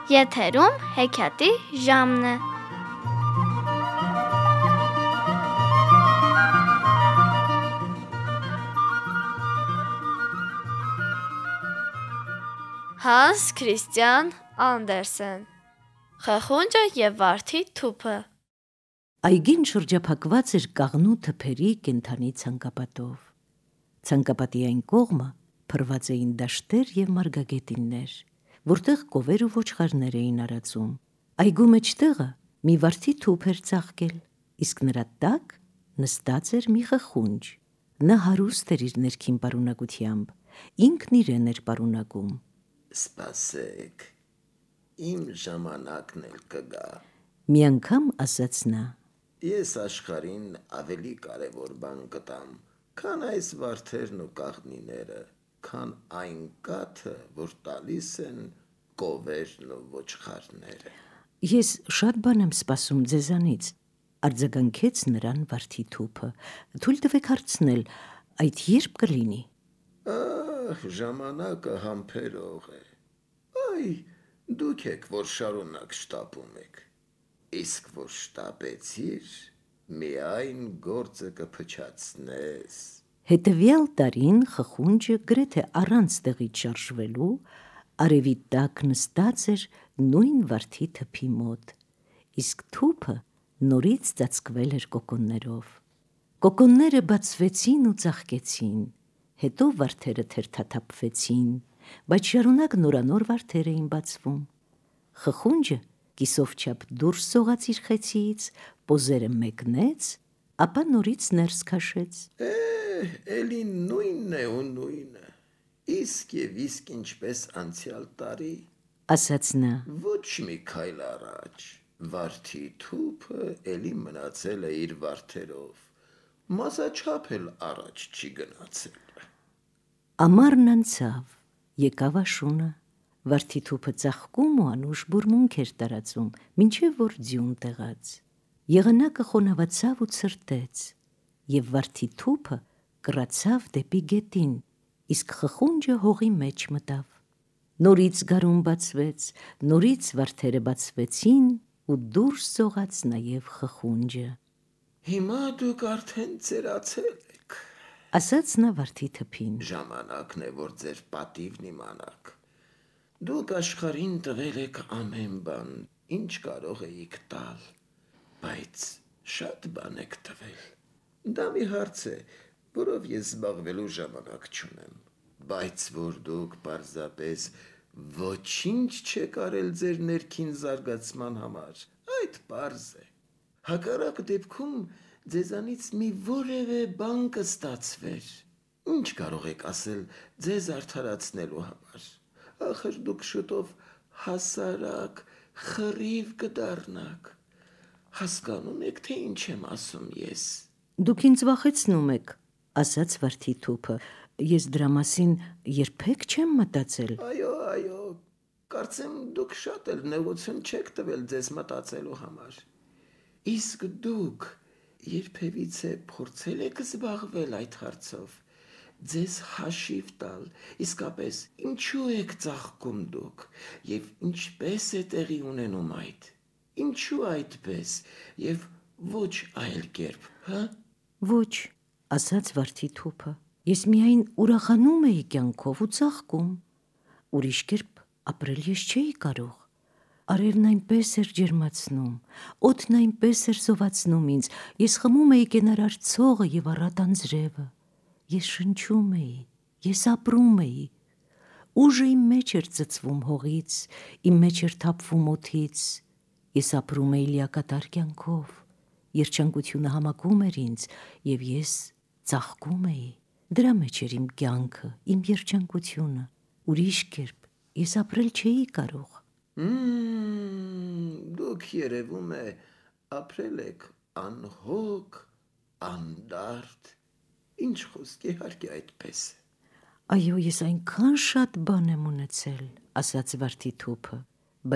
Եթերում հեքիաթի ժամն է։ Հանս Քրիստիան Անդերսեն Խխունջը և վարդի թուփը։ Այգին շրջափակված էր կաղնու թփերի կենդանի ցանկապատով։ Ցանկապատի այն կողմը փռված էին դաշտեր և մարգագետիններ, որտեղ կովեր ու ոչխարներ էին արածում։ Այգու մեջտեղը մի վարդի թուփ էր ծաղկել, իսկ նրա տակ նստած էր մի խխունջ։ Նա հարուստ էր իր ներքին պարունակությամբ, ինքն իրեն էր պարունակում։ Սպասեք, իմ ժամանակն էլ կգա, մի անգամ ասաց նա։ Ես աշխարհին ավելի կարևոր բան կտամ, քան այս վարդերն ու կաղնիները, քան այն կաթը, որ տալիս են կովերն ու ոչխարները։ Ես շատ բան եմ սպասում ձեզանից, արձագանքեց նրան վարդի թուփը։ Թույլ տվեք հարցնել, այդ երբ կլինի։ Ժամանակը համբերող է։ Այ, դուք եք, որ շարունակ շտապում եք, իսկ որ շտապեցիր, միայն գործը կփչացնես։ Հետևյալ տարին խխունջը գրեթե առանց տեղից շարժվելու արևի տակ նստած էր նույն վարդի թփի մոտ, իսկ թուփը նորից ծածկվել էր կոկոններով։ Կոկոնները բացվեցին ու ծաղկեցին, հետո վարդերը թերթաթափվեցին, բայց շարունակ նորանոր վարդեր էին բացվում։ Խխունջը կիսով չափ դուրս սողաց իր խեցիից, պոզերը մեկնեց, ապա նորից ներս քաշեց։ Էլի նույնն է ու նույնը, իսկ ինչպես անցյալ տարի, ասաց նա։ Ոչ մի քայլ առաջ, վարդի թուփը էլի մնացել է իր վարդերով, մասաչափ էլ առաջ չի գնացել։ Ամառն անցավ, եկավ աշունը, վարդի թուփը ծաղկում ու անուշ բուրմունք էր տարածում, մինչև որ ձյուն տեղաց։ Եղանակը խոնավացավ ու ցրտեց, և վարդի թուփը կռացավ դեպի գետին, իսկ խխունջը հողի մեջ մտավ։ Նորից գարուն բացվեց, նորից վարդերը բացվեցին ու դուրս սողաց նաև խխունջը։ Հիմա դուք արդեն ծերացել եք, ասաց նա վարդի թփին։ Ժամանակն է, որ ձեր պատիվն իմանաք։ Դուք աշխարհին տվել եք ամեն բան, ինչ կարող էիք տալ, բայց շատ բան եք տվել։ Դա մի հարց է, որով ես զբաղվելու ժամանակ չունեմ, բայց որ դուք պարզապես ոչինչ չեք արել ձեր ներքին զարգացման համար, այդ պարզ է։ Հակառակ դեպքում ձեզանից մի որևէ բան կստացվեր։ Ինչ կարող եք ասել ձեզ արդարացնելու համար։ Ախր դուք շուտով հասարակ, խռիվ կդառնաք։ Հասկանում եք, թե ինչ եմ ասում ես։ Դուք ինձ վախեցնում եք, ասաց վարդի թուփը, ես դրա մասին երբեք չեմ մտածել։ Այո, կարծեմ դուք շատ էլ նեղություն չեք տվել ձեզ մտածելու համար։ Իսկ դուք երբևիցե փորձել եք զբաղվել այդ հարցով, ձեզ հաշիվ տալ, իսկապես ինչու եք ծաղկում դուք, և ինչպես է տեղի ունենում այդ, ինչու այդպես, և ոչ այլ կերպ, հա։ Ոչ, ասաց վարդի թուփը, ես միայն ուրախանում էի կյանքով ու ծաղկում, ուրիշ կերպ ապրել ես չէի կարող։ Արևն այնպես էր ջերմացնում, օդն այնպես էր զովացնում ինձ, ես խմում էի կենարար ցողը և առատ անձրևը, ես շնչում էի, ես ապրում էի, ուժը իմ մեջ էր ծծվում հողից, իմ մեջ էր թափվում օդից, ես ապրում էի լիակատար կյանքով, երջանկությունը համակում էր ինձ, և ես ծաղկում էի, դրա մեջ էր իմ կյանքը, իմ երջանկությունը, ուրիշ կերպ ես ապրել չէի կարող։ Դուք երևում է ապրել եք անհոգ, անդարդ, ինչ խոսք, իհարկե այդպես է։ Այո, ես այնքան շատ բան եմ ունեցել, ասաց վարդի թուփը,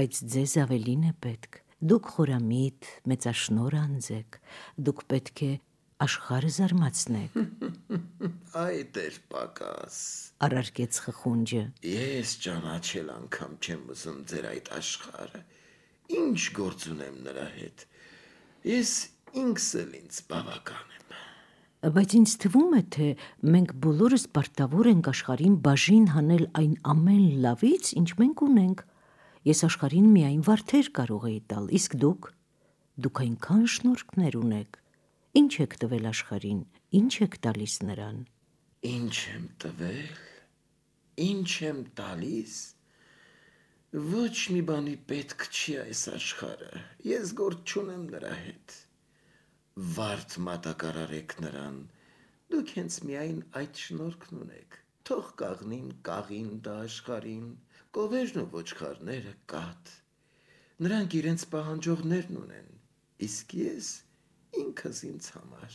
բայց ձեզ ավելին է պետք, դուք խորամիտ, մեծաշնորհ անձ եք, դուք պետք է աշխարհը զարմացնեք։ այդ էր պակաս։ Առարկեց խխունջը։ Ես ճանաչել անգամ չեմ ուզում ձեր այդ աշխարհը։ Ինչ գործ ունեմ նրա հետ։ Ես ինքս էլ ինձ բավական եմ։ Բայց ինձ թվում է, թե մենք բոլորս պարտավոր ենք աշխարհին բաժին հանել այն ամեն լավից, ինչ մենք ունենք։ Ես աշխարհին միայն վարդեր կարող էի տալ, իսկ դուք այնքան շնորհքներ ունեք։ Ինչ եք տվել աշխարհին, ինչ եք տալիս նրան։ Ինչ եմ տվել, ինչ եմ տալիս։ Ոչ մի բանի պետք չի այս աշխարհը։ Ես գործ չունեմ նրա հետ։ Վարդ մատակարարեք նրան, դուք հենց միայն այդ շնորհքն ունեք, թող կաղնին կաղին դա աշխարհին, կովերն ու ոչխարները կատ, նրանք իրենց պահանջողներն ունեն, իսկ ես ինքս ինձ համար,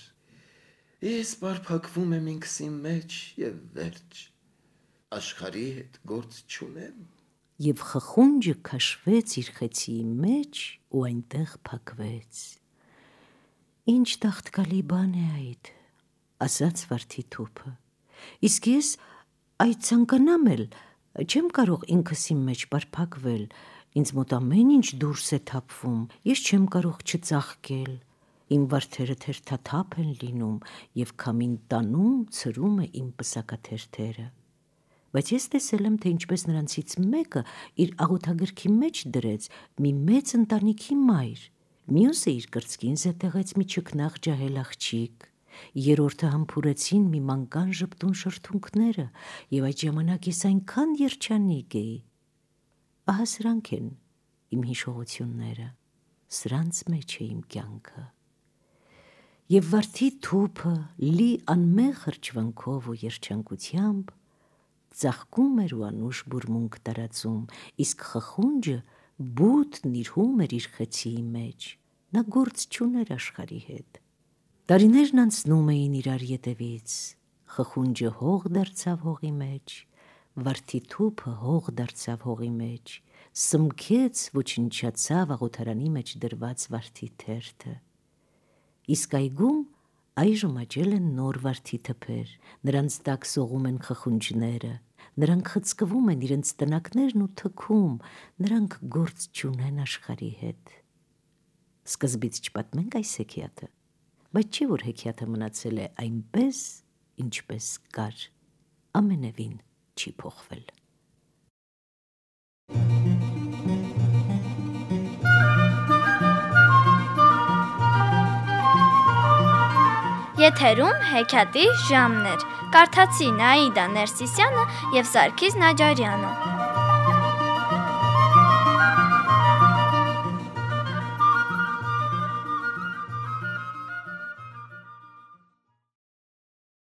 ես պարփակվում եմ ինքս իմ մեջ և վերջ, աշխարհի հետ գործ չունեմ։ Եվ խխունջը քաշվեց իր խեցիի մեջ ու այնտեղ փակվեց։ Ինչ տաղտկալի բան է այդ, ասաց վարդի թուփը, իսկ ես այդ ցանկանամ էլ, չեմ կարող ինքս իմ մեջ պարփակվել, ինձ մոտ ամեն ինչ դուրս է թափվում, ես չեմ կարող չծաղկել, իմ վարդերը թերթաթափ են լինում և քամին տանում ցրում է իմ պսակաթերթերը, բայց ես տեսել եմ, թե ինչպես նրանցից մեկը իր աղոթագրքի մեջ դրեց մի մեծ ընտանիքի մայր, մյուսը իր կրծքին զետեղեց մի չքնաղ ջահել աղջիկ, երրորդը համբուրեցին մի մանկան ժպտուն շրթունքները և այդ ժամանակ ես այնքան երջանիկ էի։ Ահա սրանք են իմ հիշողությունները, սրանց մեջ է իմ կյանքը։ Եվ վարդի թուփը լի անմեղ հրճվանքով ու երջանկությամբ ծաղկում էր ու անուշ բուրմունք տարածում, իսկ խխունջը բութ նիրհում էր իր խեցիի մեջ, նա գործ չուներ աշխարհի հետ։ Տարիներն անցնում էին իրար ետևից, խխունջը հող դարձավ հողի մեջ, վարդի թուփը հող դարձավ հողի մեջ, սմքեց, ոչնչացավ աղոթարանի մեջ դրված վարդի թերթը։ Իսկ այգում այժմ աճել են նոր վարդի թփեր, նրանց տակ սողում են խխունջները, նրանք խցկվում են իրենց տնակներն ու թքում, նրանք գործ չունեն աշխարհի հետ։ Սկզբից չպատմենք այս հեքիաթը, բայց չէ որ հեքիաթը մնացել է այնպես, ինչպես կար, ամենևին չի փոխվել։ Եթերում հեքիաթի ժամն էր։ Կարդացի Նաիդա Ներսիսյանը և Սարգիս Նաջարյանը։